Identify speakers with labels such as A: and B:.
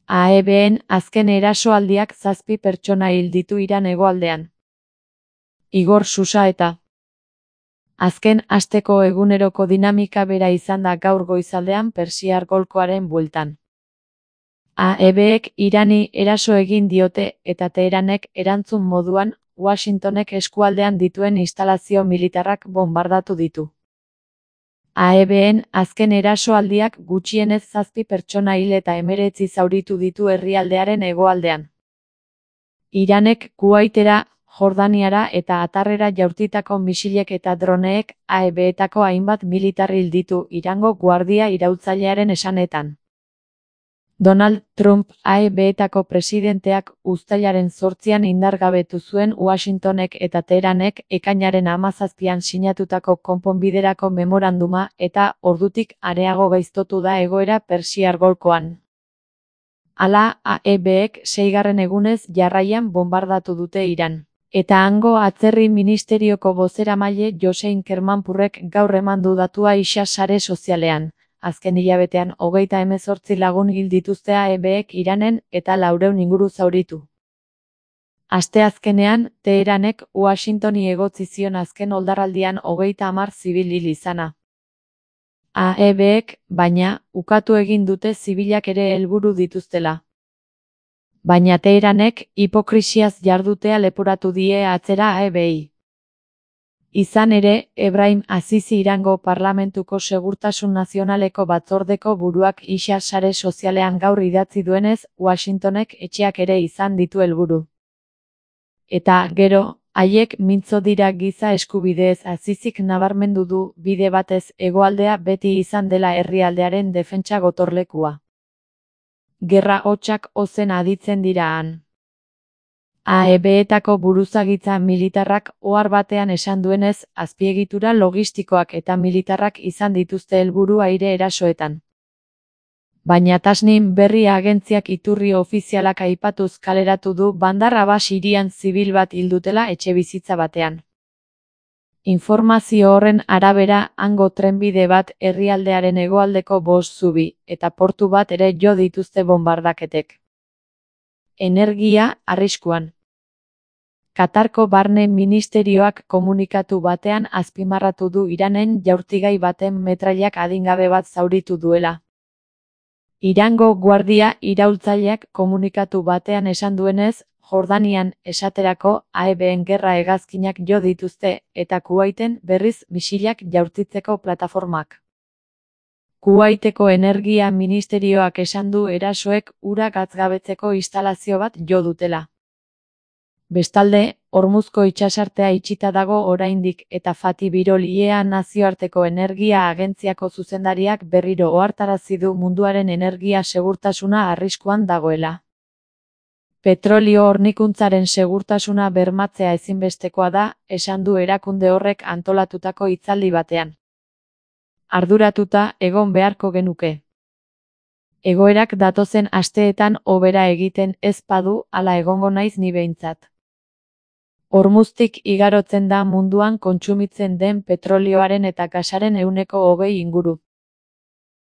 A: AEBen azken erasoaldiak 7 pertsona hil ditu Iran hegoaldean. Igor Susaeta. Azken asteko eguneroko dinamika bera izan da gaur goizaldean Persiar Golkoaren bueltan. AEBek Irani eraso egin diote eta Teheranek erantzun moduan Washingtonek eskualdean dituen instalazio militarrak bonbardatu ditu. AEBen azken erasoaldiak gutxienez 7 pertsona hil eta 19 zauritu ditu herrialdearen hegoaldean. Iranek Kuwaitera, Jordaniara eta Atarrera jaurtitako misilek eta droneek AEBetako hainbat militar hil ditu Irango Guardia Iraultzailearen esanetan. Donald Trump AEBetako presidenteak uztailaren 8an indargabetu zuen Washingtonek eta Teheranek ekainaren 17an sinatutako konponbiderako memoranduma eta ordutik areago gaiztotu da egoera Persiar Golkoan. Hala, AEBek 6. egunez jarraian bonbardatu dute Iran. Eta hango atzerri ministerioko bozeramaile Josein Kermanpurrek gaur eman du datua isa sare sozialean. Azken hilabetean 38 lagun hil dituzte AEBek Iranen eta 400 inguru zauritu. Asteazkenean, Teheranek Washingtoni egotzi zion azken oldarraldian 30 zibil hil izana. AEBek, baina, ukatu egin dute zibilak ere helburu dituztela. Baina Teheranek hipokrisiaz jardutea leporatu die atzera AEBi. Izan ere, Ebrahim Azizi Irango Parlamentuko Segurtasun Nazionaleko batzordeko buruak isa sare sozialean gaur idatzi duenez, Washingtonek etxeak ere izan ditu helburu. Eta, gero, haiek mintzo dira giza eskubideez Azizik nabarmendu du bide batez hegoaldea beti izan dela herrialdearen defentsa gotorlekua. Gerra hotsak ozen aditzen dira han. AEBetako buruzagitza militarrak ohar batean esan duenez, azpiegitura logistikoak eta militarrak izan dituzte helburu aire erasoetan. Baina Tasnim berri agentziak iturri ofizialak aipatuz kaleratu du Bandar Abbas hirian zibil bat hil dutela etxebizitza batean. Informazio horren arabera, hango trenbide bat herrialdearen hegoaldeko 5 zubi eta portu bat ere jo dituzte bonbardaketek. Energia arriskuan. Katarko Barne Ministerioak komunikatu batean azpimarratu du Iranen jaurtigai baten metrailak adingabe bat zauritu duela. Irango Guardia Iraultzaileak komunikatu batean esan duenez, Jordanian esaterako AEBen gerra hegazkinak jo dituzte eta Kuwaiten berriz misilak jaurtitzeko plataformak. Kuwaiteko Energia Ministerioak esan du erasoek ura gatzgabetzeko instalazio bat jo dutela. Bestalde, Hormuzko itsasartea itxita dago oraindik eta Fatih Birol IEA nazioarteko energia agentziako zuzendariak berriro ohartarazi du munduaren energia segurtasuna arriskuan dagoela. Petrolio hornikuntzaren segurtasuna bermatzea ezinbestekoa da, esan du erakunde horrek antolatutako hitzaldi batean. Arduratuta egon beharko genuke. Egoerak datozen asteetan hobera egiten ez badu, hala egongo naiz ni behintzat. Hormuztik igarotzen da munduan kontsumitzen den petrolioaren eta gasaren 20% inguru.